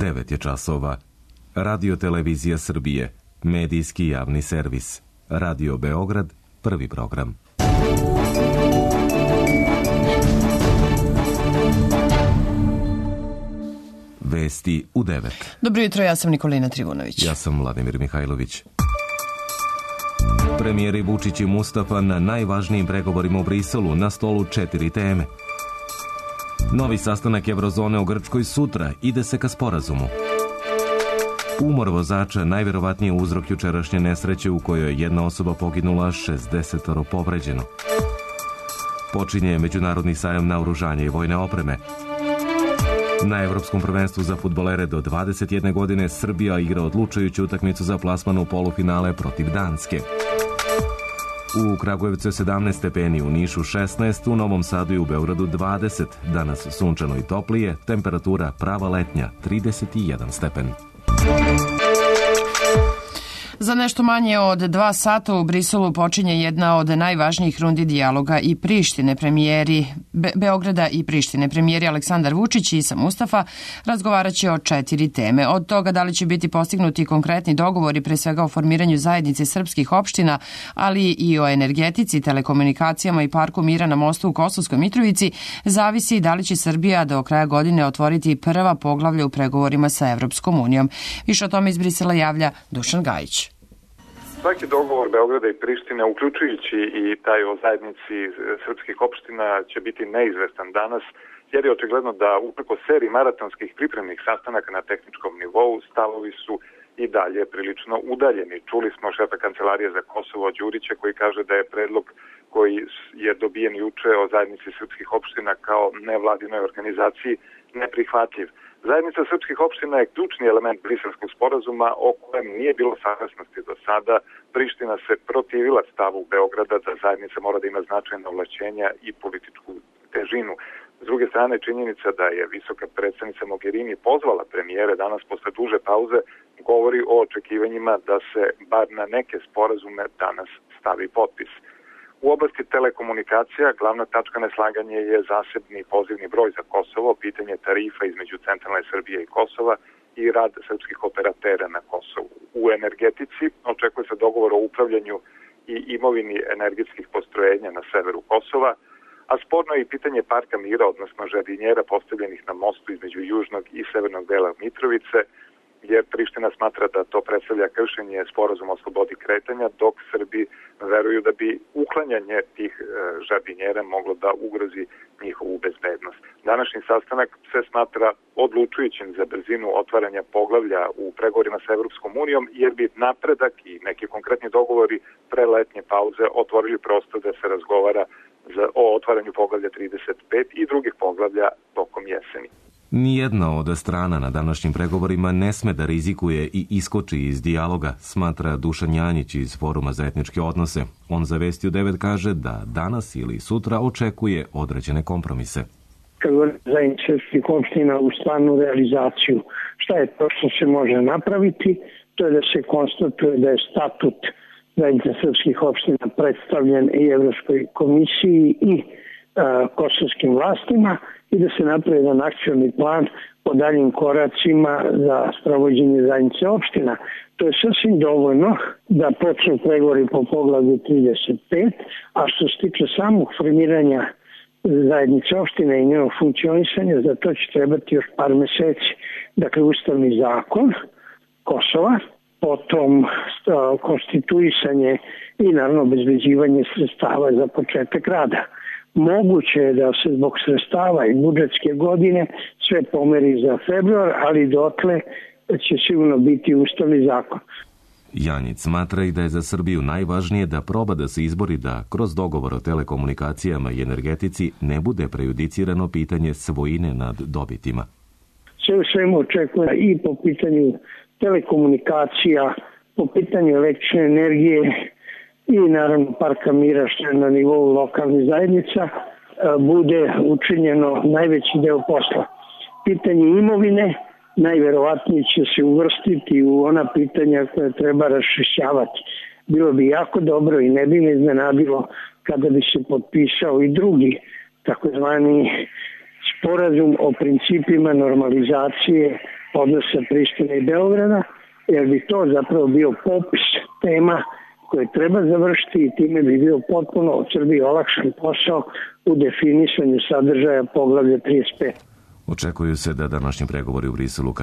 9 je časova. Radio Televizija Srbije, medijski javni servis. Radio Beograd, prvi program. Vesti u 9. Dobro jutro, ja sam Nikolina Trivunović. Ja sam Vladimir Mihajlović. Premijeri Vučić i Mustafa na najvažnijim pregovorima u Briselu, na stolu 4 teme. Novi sastanak Evrozone u Grčkoj sutra, ide se ka sporazumu. Umor vozača najverovatnije uzrok jučerašnje nesreće u kojoj je jedna osoba poginula, 60 povređeno. Počinje međunarodni sajam naoružanja i vojne opreme. Na Evropskom prvenstvu za fudbalere do 21 godine Srbija igra odlučujuću utakmicu za plasman u polufinale protiv Danske. U Kragujevcu je 17 stepeni, u Nišu 16, u Novom Sadu i u Beogradu 20. Danas sunčano i toplije, temperatura prava letnja 31 stepen. Za nešto manje od 2 sata u Briselu počinje jedna od najvažnijih rundi dijaloga i Prištine, premijeri Beograda i Prištine. Premijeri Aleksandar Vučić i Isa Mustafa razgovarat će o 4 teme. Od toga da li će biti postignuti konkretni dogovori, pre svega o formiranju zajednice srpskih opština, ali i o energetici, telekomunikacijama i parku mira na mostu u Kosovskoj Mitrovici, zavisi da li će Srbija do kraja godine otvoriti prva poglavlja u pregovorima sa Evropskom unijom. Više o tome iz Brisela javlja Dušan Gajić. Svaki dogovor Beograda i Prištine, uključujući i taj o zajednici srpskih opština, će biti neizvestan danas, jer je očigledno da upreko seriji maratonskih pripremnih sastanaka na tehničkom nivou stavovi su i dalje prilično udaljeni. Čuli smo šefa Kancelarije za Kosovo Đurića koji kaže da je predlog koji je dobijen juče o zajednici srpskih opština kao nevladinoj organizaciji neprihvatljiv. Zajednica srpskih opština je ključni element briselskog sporazuma o kojem nije bilo saglasnosti do sada. Priština se protivila stavu Beograda da zajednica mora da ima značajna ovlašćenja i političku težinu. S druge strane, činjenica da je visoka predstavnica Mogherini pozvala premijere danas posle duže pauze govori o očekivanjima da se bar na neke sporazume danas stavi potpis. U oblasti telekomunikacija glavna tačka neslaganja je zasebni pozivni broj za Kosovo, pitanje tarifa između centralne Srbije i Kosova i rad srpskih operatera na Kosovu. U energetici očekuje se dogovor o upravljanju i imovini energetskih postrojenja na severu Kosova, a sporno je i pitanje parka mira, odnosno žardinjera postavljenih na mostu između južnog i severnog dela Mitrovice, jer Priština smatra da to predstavlja kršenje sporazuma o slobodi kretanja, dok Srbi veruju da bi uklanjanje tih žardinjera moglo da ugrozi njihovu bezbednost. Današnji sastanak se smatra odlučujućim za brzinu otvaranja poglavlja u pregovorima sa Evropskom unijom, jer bi napredak i neki konkretni dogovori pre letnje pauze otvorili prostor da se razgovara o otvaranju poglavlja 35 i drugih poglavlja tokom jeseni. Nijedna od strana na današnjim pregovorima ne sme da rizikuje i iskoči iz dijaloga, smatra Dušan Janjić iz Foruma za etničke odnose. On za Vesti u 9 kaže da danas ili sutra očekuje određene kompromise. Kad govorim zajednice srpskih opština u stvarnu realizaciju, šta je to što se može napraviti? To je da se konstatuje da je statut zajednice srpskih opština predstavljen i Evropskoj komisiji i kosovskim vlastima i da se napravi jedan akcioni plan po daljim koracima za sprovođenje zajednice opština. To je sasvim dovoljno da počnu pregovori po poglavlju 35, a što se tiče samog formiranja zajednice opština i njenog funkcionisanja, za to će trebati još par meseci. Dakle, ustavni zakon Kosova, potom konstituisanje i naravno obezbeđivanje sredstava za početak rada. Moguće je da se zbog sredstava i budžetske godine sve pomeri za februar, ali dotle će sigurno biti ustavni zakon. Janjić smatra i da je za Srbiju najvažnije da proba da se izbori da kroz dogovor o telekomunikacijama i energetici ne bude prejudicirano pitanje svojine nad dobitima. Sve u svemu očekuje i po pitanju telekomunikacija, po pitanju električne energije i naravno parka mira što je na nivou lokalnih zajednica bude učinjeno najveći deo posla. Pitanje imovine najverovatnije će se uvrstiti u ona pitanja koje treba raščišćavati. Bilo bi jako dobro i ne bi me iznenadilo kada bi se potpisao i drugi takozvani sporazum o principima normalizacije odnosa Prištine i Beograda, jer bi to zapravo bio popis tema koje treba završiti i time bi bio potpuno od Srbije olakšan posao u definisanju sadržaja poglavlja 35. Očekuju se da današnji pregovori u Briselu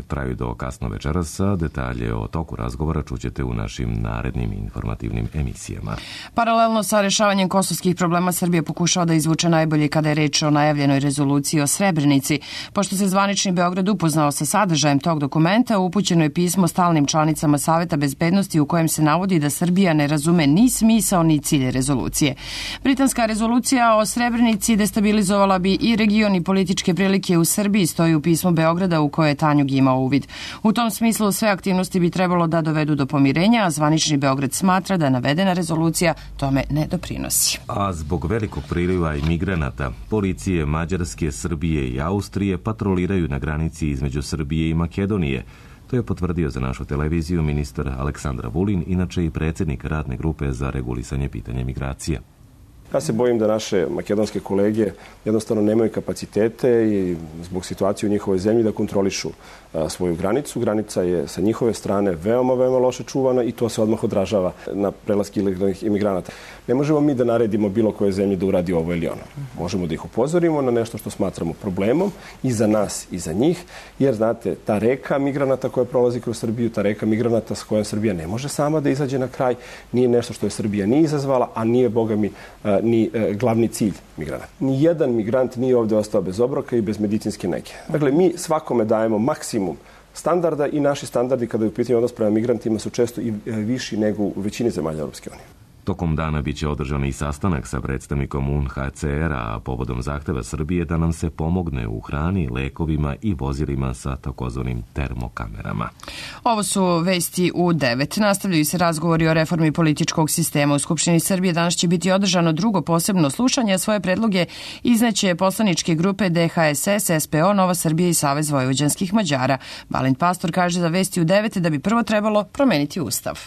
traju do kasno večeras, a detalje o toku razgovora čućete u našim narednim informativnim emisijama. Paralelno sa rešavanjem kosovskih problema Srbija pokušava da izvuče najbolje kada je reč o najavljenoj rezoluciji o Srebrenici. Pošto se zvanični Beograd upoznao sa sadržajem tog dokumenta, upućeno je pismo stalnim članicama Saveta bezbednosti u kojem se navodi da Srbija ne razume ni smisao ni cilj rezolucije. Britanska rezolucija o Srebrenici destabilizovala bi i region i političke prilike u Srbiji, stoji u pismu Beograda u koje je Tanjug imao uvid. U tom smislu sve aktivnosti bi trebalo da dovedu do pomirenja, a zvanični Beograd smatra da navedena rezolucija tome ne doprinosi. A zbog velikog priliva imigranata, policije Mađarske, Srbije i Austrije patroliraju na granici između Srbije i Makedonije. To je potvrdio za našu televiziju ministar Aleksandar Vulin, inače i predsjednik radne grupe za regulisanje pitanja migracija. Ja se bojim da naše makedonske kolege jednostavno nemaju kapacitete i zbog situacije u njihovoj zemlji da kontrolišu svoju granicu. Granica je sa njihove strane veoma, veoma loše čuvana i to se odmah odražava na prelaske ilegalnih imigranata. Ne možemo mi da naredimo bilo koje zemlji da uradi ovo ili ono. Možemo da ih upozorimo na nešto što smatramo problemom i za nas i za njih, jer znate, ta reka migranata koja prolazi kroz Srbiju, ta reka migranata s kojom Srbija ne može sama da izađe na kraj, nije nešto što je Srbija nije izazvala, a nije, boga mi, ni glavni cilj migranata. Nijedan migrant nije ovdje ostao bez obroka i bez medicinske nege. Dakle, mi svakome dajemo maksimum standarda i naši standardi kada je u pitanju odnos prema migrantima su često i viši nego u većini zemalja Europske unije. Tokom dana biće održan i sastanak sa predstavnikom UNHCR-a, a povodom zahteva Srbije da nam se pomogne u hrani, lekovima i vozilima sa takozvanim termokamerama. Ovo su vesti u 9. Nastavljaju se razgovori o reformi političkog sistema. U Skupštini Srbije danas će biti održano drugo posebno slušanje, a svoje predloge izneće poslaničke grupe DHSS, SPO, Nova Srbija i Savez vojvođanskih Mađara. Balint Pastor kaže za vesti u 9 da bi prvo trebalo promeniti Ustav.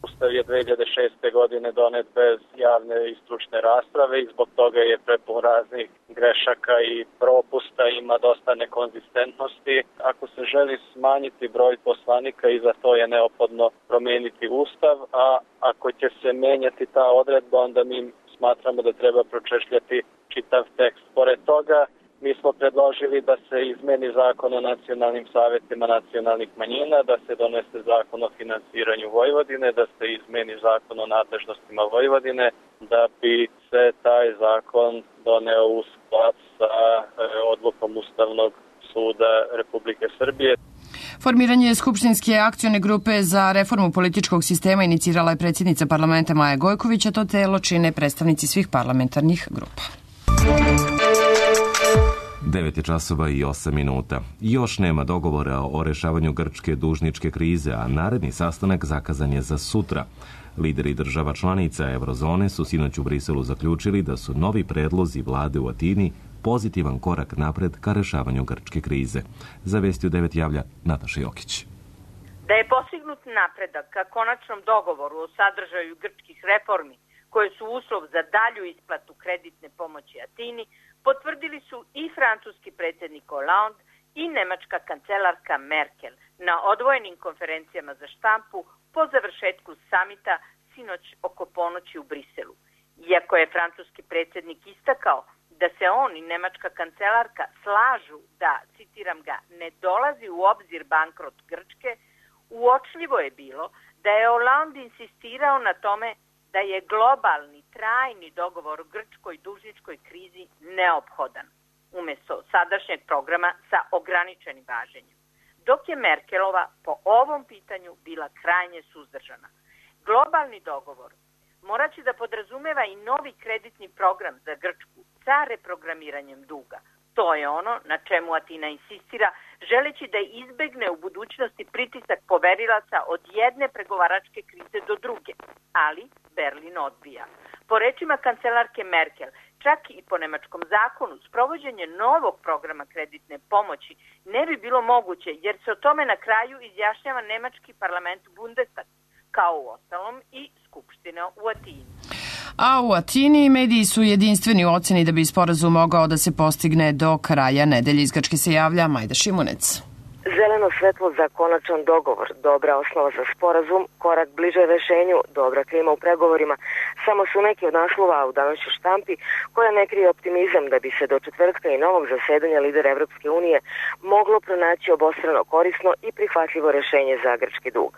Ustav je 2006. godine donet bez javne i stručne rasprave i zbog toga je prepun raznih grešaka i propusta, ima dosta nekonzistentnosti. Ako se želi smanjiti broj poslanika i za to je neophodno promijeniti Ustav, a ako će se menjati ta odredba, onda mi smatramo da treba pročešljati čitav tekst. Pored toga, mi smo predložili da se izmeni zakon o nacionalnim savetima nacionalnih manjina, da se donese zakon o finansiranju Vojvodine, da se izmeni zakon o nadležnostima Vojvodine, da bi se taj zakon doneo u sklad sa odlukom Ustavnog suda Republike Srbije. Formiranje Skupštinske akcione grupe za reformu političkog sistema inicirala je predsjednica parlamenta Maja Gojković, a to telo čine predstavnici svih parlamentarnih grupa. 9:08. Još nema dogovora o rešavanju grčke dužničke krize, a naredni sastanak zakazan je za sutra. Lideri država članica Eurozone su sinoć u Briselu zaključili da su novi predlozi vlade u Atini pozitivan korak napred ka rešavanju grčke krize. Za vesti u 9 javlja Nataša Jokić. Da je postignut napredak ka konačnom dogovoru o sadržaju grčkih reformi, koje su uslov za dalju isplatu kreditne pomoći Atini, potvrdili su i francuski predsjednik Hollande i nemačka kancelarka Merkel na odvojenim konferencijama za štampu po završetku samita sinoć oko ponoći u Briselu. Iako je francuski predsjednik istakao da se on i nemačka kancelarka slažu da, citiram ga, ne dolazi u obzir bankrot Grčke, uočljivo je bilo da je Hollande insistirao na tome da je globalni, trajni dogovor o grčkoj dužničkoj krizi neophodan, umjesto sadašnjeg programa sa ograničenim važenjem, dok je Merkelova po ovom pitanju bila krajnje suzdržana. Globalni dogovor morat će da podrazumeva i novi kreditni program za Grčku sa reprogramiranjem duga. To je ono na čemu Atina insistira, želeći da izbegne u budućnosti pritisak poverilaca od jedne pregovaračke krize do druge, ali Berlin odbija. Po rečima kancelarke Merkel, čak i po nemačkom zakonu, sprovođenje novog programa kreditne pomoći ne bi bilo moguće, jer se o tome na kraju izjašnjava nemački parlament Bundestag, kao u ostalom i Skupština u Atini. A u Atini mediji su jedinstveni u oceni da bi sporazum mogao da se postigne do kraja nedelje. Iz Grčke se javlja Majda Šimunec. Zeleno svetlo za konačan dogovor, dobra osnova za sporazum, korak bliže rešenju, dobra klima u pregovorima, samo su neki od naslova u današnjoj štampi koja ne krije optimizam da bi se do četvrtka i novog zasedanja lidera Evropske unije moglo pronaći obostrano korisno i prihvatljivo rešenje za grčki dug.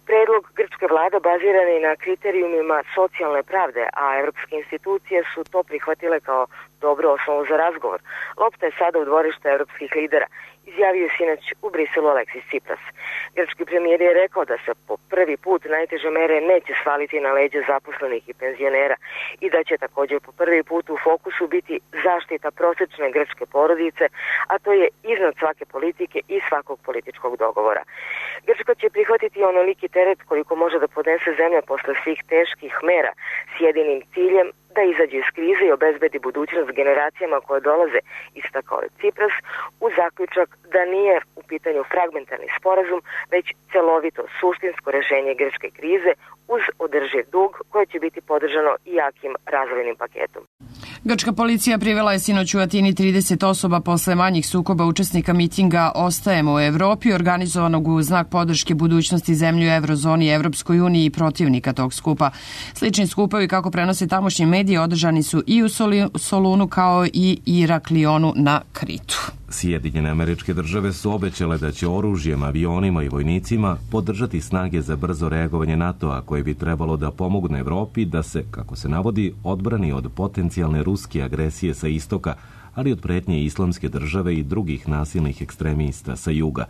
Predlog grčke vlade baziran je na kriterijumima socijalne pravde, a evropske institucije su to prihvatile kao dobru osnovu za razgovor. Lopta je sada u dvorištu evropskih lidera, izjavio je sinoć u Briselu Aleksis Tsipras. Grčki premijer je rekao da se po prvi put najteže mere neće svaliti na leđa zaposlenih i penzionera i da će također po prvi put u fokusu biti zaštita prosečne grčke porodice, a to je iznad svake politike i svakog političkog dogovora. Grčka će prihvatiti onoliki teret koliko može da podnese zemlja posle svih teških mera s jedinim ciljem da izađe iz krize i obezbedi budućnost generacijama koje dolaze, istakao je Tsipras, uz zaključak da nije u pitanju fragmentarni sporazum, već celovito suštinsko rešenje grčke krize uz održiv dug koje će biti podržano i jakim razvojnim paketom. Grčka policija privela je sinoć u Atini 30 osoba posle manjih sukoba učesnika mitinga Ostajemo u Evropi, organizovanog u znak podrške budućnosti zemlje u Eurozoni i Evropskoj uniji i protivnika tog skupa. Slični skupovi, kako prenose tamošnji mediji, održani su i u Solunu kao i Iraklionu na Kritu. Sjedinjene Američke Države su obećale da će oružjem, avionima i vojnicima podržati snage za brzo reagovanje NATO-a koje bi trebalo da pomogne Evropi da se, kako se navodi, odbrani od potencijalne ruske agresije sa istoka, ali od pretnje Islamske države i drugih nasilnih ekstremista sa juga.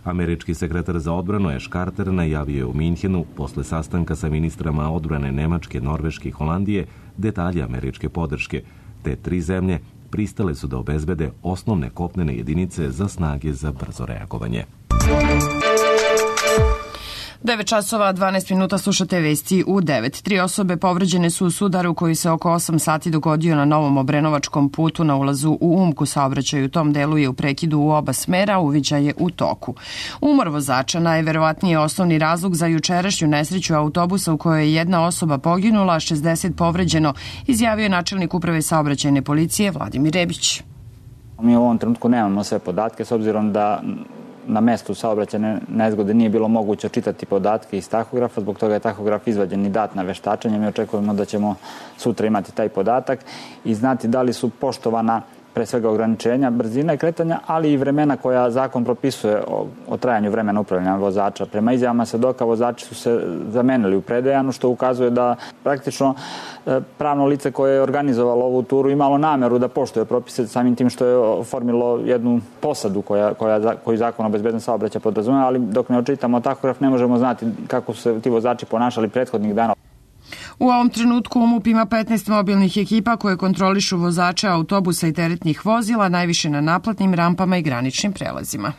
Američki sekretar za odbranu Ash Carter najavio je u Minhenu posle sastanka sa ministrama odbrane Nemačke, Norveške i Holandije detalje američke podrške. Te tri zemlje pristale su da obezbede osnovne kopnene jedinice za snage za brzo reagovanje. 9 časova, 12 minuta, slušate vesti u 9. 3 osobe povređene su u sudaru koji se oko 8 sati dogodio na Novom Obrenovačkom putu na ulazu u Umku. Saobraćaj u tom delu je u prekidu u oba smera, uviđaj je u toku. Umor vozača najverovatnije osnovni razlog za jučerašnju nesreću autobusa u kojoj je jedna osoba poginula, 60 povređeno, izjavio je načelnik uprave saobraćajne policije Vladimir Rebić. Mi u ovom trenutku nemamo sve podatke s obzirom da na mestu saobraćajne nezgode nije bilo moguće čitati podatke iz tahografa, zbog toga je tahograf izvađen i dat na veštačenje. Mi očekujemo da ćemo sutra imati taj podatak i znati da li su poštovana pre svega ograničenja brzina i kretanja, ali i vremena koja zakon propisuje o trajanju vremena upravljanja vozača. Prema izjavama svedoka vozači su se zamenili u predejanu, što ukazuje da praktično pravno lice koje je organizovalo ovu turu imalo nameru da poštuje propise samim tim što je oformilo jednu posadu koju zakon o bezbednom saobraćaju podrazumeva, ali dok ne očitamo tahograf ne možemo znati kako su se ti vozači ponašali prethodnih dana. U ovom trenutku MUP ima 15 mobilnih ekipa koje kontrolišu vozače autobusa i teretnih vozila, najviše na naplatnim rampama i graničnim prelazima.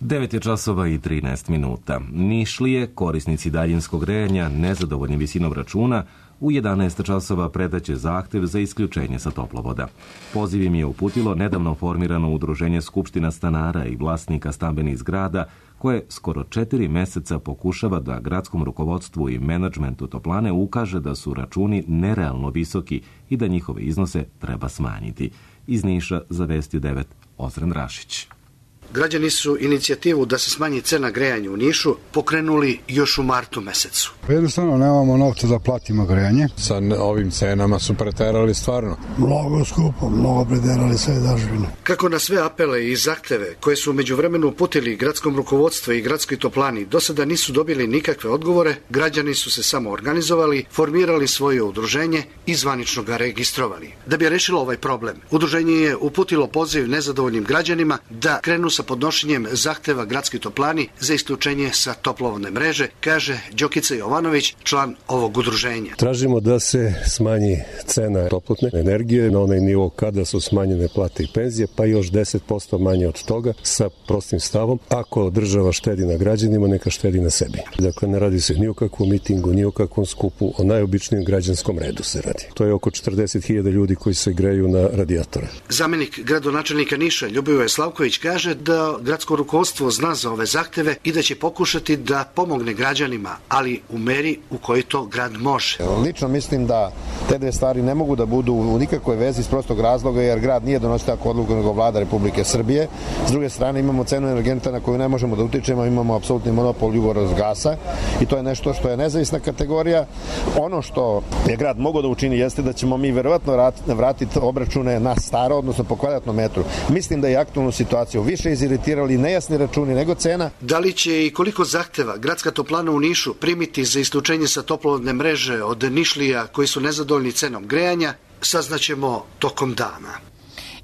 9 je časova i 13 minuta. Nišlije, korisnici daljinskog grejanja, nezadovoljni visinom računa, u 11 časova predaće zahtev za isključenje sa toplovoda. Poziv im je uputilo nedavno formirano udruženje Skupština stanara i vlasnika stambenih zgrada, koje skoro 4 meseca pokušava da gradskom rukovodstvu i menadžmentu toplane ukaže da su računi nerealno visoki i da njihove iznose treba smanjiti. Iz Niša za Vesti 9 Ozren Rašić. Građani su inicijativu da se smanji cena grejanja u Nišu pokrenuli još u martu mesecu. Jednostavno nemamo novca da platimo grejanje. Sa ovim cenama su preterali stvarno. Mnogo skupo, mnogo preterali sve dažbine. Kako na sve apele i zahteve koje su međuvremenu uputili gradskom rukovodstvu i gradskoj toplani do sada nisu dobili nikakve odgovore, građani su se samo organizovali, formirali svoje udruženje i zvanično ga registrovali. Da bi rešilo ovaj problem, udruženje je uputilo poziv nezadovoljnim građanima da krenu sa podnošenjem zahteva gradskoj toplani za isključenje sa toplovodne mreže, kaže Đokica Jovanović, član ovog udruženja. Tražimo da se smanji cena toplotne energije na onaj nivo kada su smanjene plate i penzije, pa još 10% manje od toga, sa prostim stavom: ako država štedi na građanima, neka štedi na sebi. Dakle, ne radi se ni o kakvom mitingu, ni o kakvom skupu, o najobičnijem građanskom redu se radi. To je oko 40.000 ljudi koji se greju na radijatore. Zamenik gradonačelnika Niša Ljubivoje Slavković kaže da da gradsko rukovodstvo zna za ove zahteve i da će pokušati da pomogne građanima, ali u meri u kojoj to grad može. Lično mislim da te dve stvari ne mogu da budu u nikakvoj vezi iz prostog razloga, jer grad nije donosio tako odluku nego vlada Republike Srbije. S druge strane imamo cenu energenta na koju ne možemo da utičemo, imamo apsolutni monopol Jugorozgasa i to je nešto što je nezavisna kategorija. Ono što je grad mogao da učini jeste da ćemo mi verovatno vratiti obračune na staro, odnosno po kvadratnom metru. Mislim da je aktualnu situaciju više iziritirali nejasni računi nego cena. Da li će i koliko zahteva gradska toplana u Nišu primiti za isključenje sa toplovodne mreže od Nišlija koji su nezadovoljni cenom grejanja, saznaćemo tokom dana.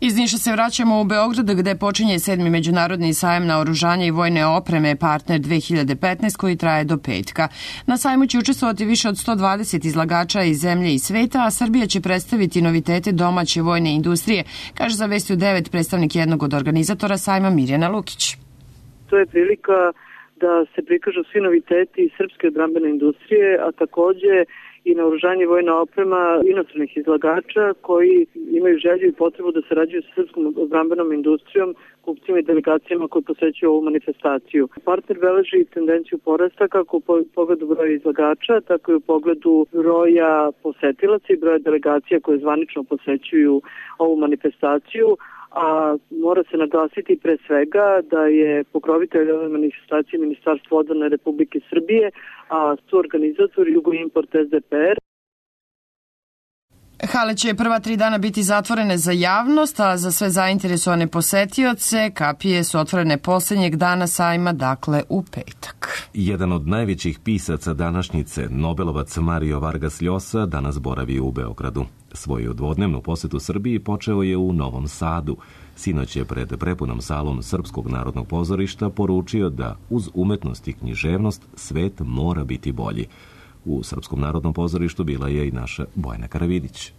Iz Niša se vraćamo u Beograd gde počinje 7. međunarodni sajam naoružanja i vojne opreme Partner 2015 koji traje do petka. Na sajmu će učestvovati više od 120 izlagača iz zemlje i sveta, a Srbija će predstaviti novitete domaće vojne industrije, kaže za Vesti u 9 predstavnik jednog od organizatora sajma Mirjana Lukić. To je prilika da se prikažu svi noviteti srpske odbrambene industrije, a takođe i naoružanje i vojna oprema inostranih izlagača koji imaju želju i potrebu da sarađuju sa srpskom odbrambenom industrijom, kupcima i delegacijama koji posećuju ovu manifestaciju. Partner beleži tendenciju porasta kako u pogledu broja izlagača, tako i u pogledu broja posetilaca i broja delegacija koje zvanično posećuju ovu manifestaciju, a mora se naglasiti pre svega da je pokrovitelj ove manifestacije Ministarstvo odbrane Republike Srbije, a suorganizator Jugoimport SDPR. Hale će prva 3 dana biti zatvorene za javnost, a za sve zainteresovane posetioce kapije su otvorene poslednjeg dana sajma, dakle u petak. Jedan od najvećih pisaca današnjice, Nobelovac Mario Vargas Llosa, danas boravi u Beogradu. Svoju dvodnevnu posetu Srbiji počeo je u Novom Sadu. Sinoć je pred prepunom salom Srpskog narodnog pozorišta poručio da uz umetnost i književnost svet mora biti bolji. U Srpskom narodnom pozorištu bila je i naša Bojana Karavidić.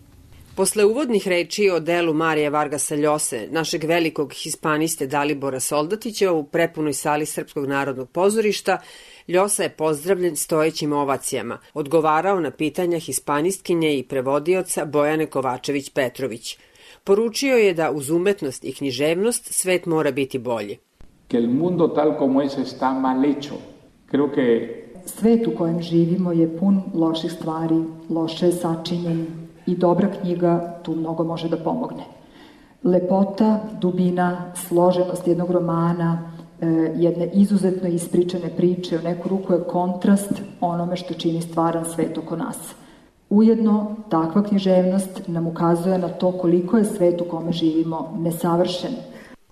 Posle uvodnih reči o delu Marija Vargasa Ljose, našeg velikog hispaniste Dalibora Soldatića u prepunoj sali Srpskog narodnog pozorišta, Ljosa je pozdravljen stojećim ovacijama, odgovarao na pitanja hispanistkinje i prevodioca Bojane Kovačević-Petrović. Poručio je da uz umetnost i književnost svet mora biti bolji. Que el mundo tal como es está mal hecho. Creo que svet u kojem živimo je pun loših stvari, loše je sačinjen i dobra knjiga tu mnogo može da pomogne. Lepota, dubina, složenost jednog romana, jedne izuzetno ispričane priče, u neku ruku je kontrast onome što čini stvaran svet oko nas. Ujedno, takva književnost nam ukazuje na to koliko je svet u kome živimo nesavršen.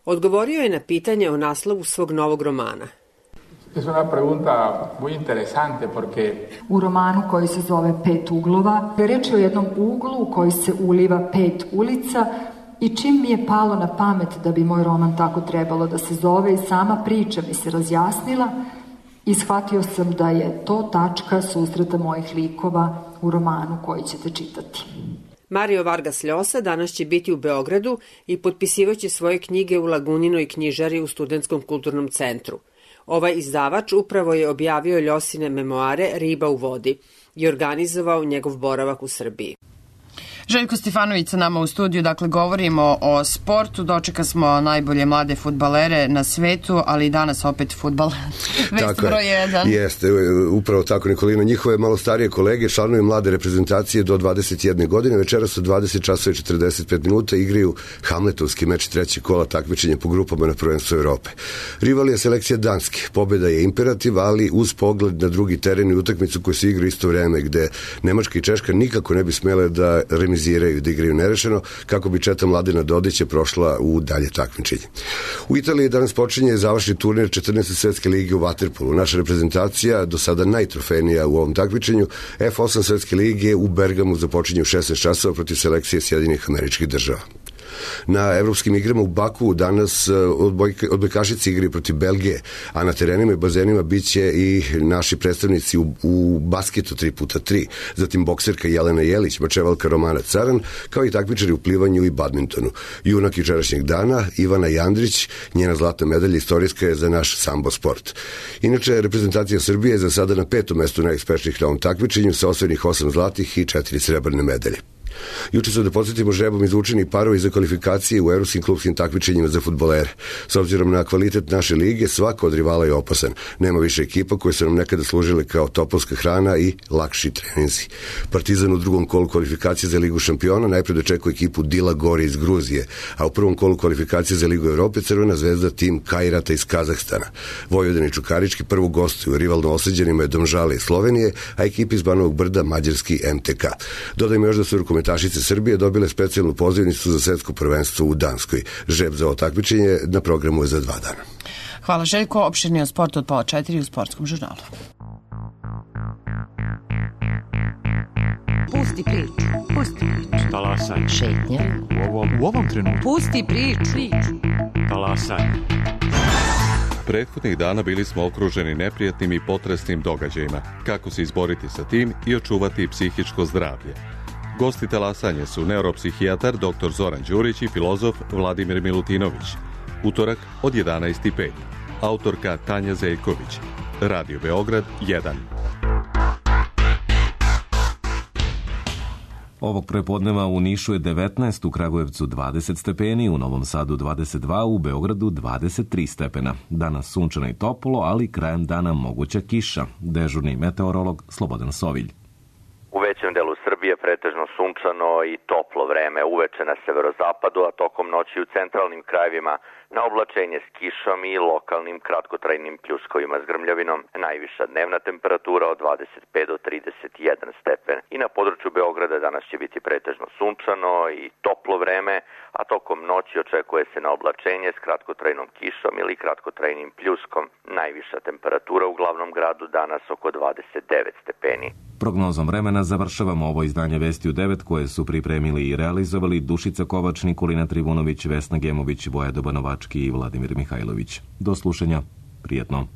Odgovorio je na pitanje o naslovu svog novog romana. Es una pregunta muy interesante porque u romanu koji se zove Pet uglova, reč je o jednom uglu u koji se uliva 5 ulica i čim mi je palo na pamet da bi moj roman tako trebalo da se zove i sama priča mi se razjasnila i shvatio sam da je to tačka susreta mojih likova u romanu koji ćete čitati. Mario Vargas Llosa danas će biti u Beogradu i potpisivaće svoje knjige u Laguninoj knjižari u Studentskom kulturnom centru. Ovaj izdavač upravo je objavio Ljosine memoare Riba u vodi i organizovao njegov boravak u Srbiji. Željko Stefanović sa nama u studiju, dakle govorimo o sportu, dočeka smo najbolje mlade fudbalere na svetu, ali i danas opet fudbal. Vest broj 1. Jeste, upravo tako Nikolina, njihove malo starije kolege, članovi mlade reprezentacije do 21 godine, večeras u 20 časova i 45 minuta igraju Hamletovski meč trećeg kola takmičenja po grupama na prvenstvu Evrope. Rival je selekcija Danske, pobjeda je imperativ, ali uz pogled na drugi teren i utakmicu koju se igra isto vreme, gde Nemačka i Češka nikako ne bi smele da remiziraju, da igraju nerešeno, kako bi četa Mladena Dodića prošla u dalje takmičenje. U Italiji danas počinje završni turnir 14. svetske lige u vaterpolu. Naša reprezentacija, do sada najtrofejnija u ovom takmičenju, F8 svetske lige u Bergamu započinje u 16 časova protiv selekcije Sjedinjenih Američkih Država. Na evropskim igrama u Baku danas odbojkašice igraju protiv Belgije, a na terenima i bazenima biće i naši predstavnici u basketu 3x3, zatim bokserka Jelena Jelić, mačevalka Romana Caran, kao i takmičari u plivanju i badmintonu. Junak jučerašnjeg dana, Ivana Jandrić, njena zlatna medalja istorijska je za naš sambo sport. Inače, reprezentacija Srbije je za sada na 5. mestu najuspešnijih na ovom takmičenju sa osvojenih 8 zlatih i 4 srebrne medalje. Juče su, da podsjetimo, žrebom izvučeni parovi za kvalifikacije u evropskim klubskim takmičenjima za fudbalere. S obzirom na kvalitet naše lige, svako od rivala je opasan. Nema više ekipa koje su nam nekada služile kao topovska hrana i lakši treninzi. Partizan u drugom kolu kvalifikacije za Ligu šampiona najpred očekuje ekipu Dila Gore iz Gruzije, a u prvom kolu kvalifikacije za Ligu Evrope Crvena zvezda tim Kajrata iz Kazahstana. Vojvodin i Čukarički prvo gostuju, rivalno oseđenima je Domžale iz Slovenije, a ekipi iz Banovog Brda mađarski MTK. Dodajmo još da su rukometašice Srbije dobile specijalnu pozivnicu za svetsko prvenstvo u Danskoj. Žreb za ovo takmičenje na programu je za 2 dana. Hvala Željko, opširnije o sportu od 3:30 u Sportskom žurnalu. Pusti priču, pusti priču. Talasaj. Šetnja. U ovom trenutku. Pusti priču. Talasaj. Prethodnih dana bili smo okruženi neprijatnim i potresnim događajima. Kako se izboriti sa tim i očuvati psihičko zdravlje? Gosti talasanja su neuropsihijatar dr. Zoran Đurić i filozof Vladimir Milutinović. Utorak od 11:05. Autorka Tanja Zeljković. Radio Beograd 1. Ovog prepodneva u Nišu je 19, u Kragujevcu 20 stepeni, u Novom Sadu 22, u Beogradu 23 stepena. Danas sunčano i toplo, ali krajem dana moguća kiša. Dežurni meteorolog Slobodan Sovilj. U većem delu Srbije pretežno sunčano i toplo vreme, uveče na severozapadu, a tokom noći u centralnim krajevima na oblačenje s kišom i lokalnim kratkotrajnim pljuskovima s grmljavinom. Najviša dnevna temperatura od 25 do 31 stepen. I na području Beograda danas će biti pretežno sunčano i toplo vreme, a tokom noći očekuje se na oblačenje s kratkotrajnom kišom ili kratkotrajnim pljuskom. Najviša temperatura u glavnom gradu danas oko 29 stepeni. Prognozom vremena završavamo ovo izdanje Vesti u 9 koje su pripremili i realizovali Dušica Kovač, Nikolina Trivunović, Vesna Gemović, Boja Dobanovački i Vladimir Mihajlović. Do slušanja. Prijetno.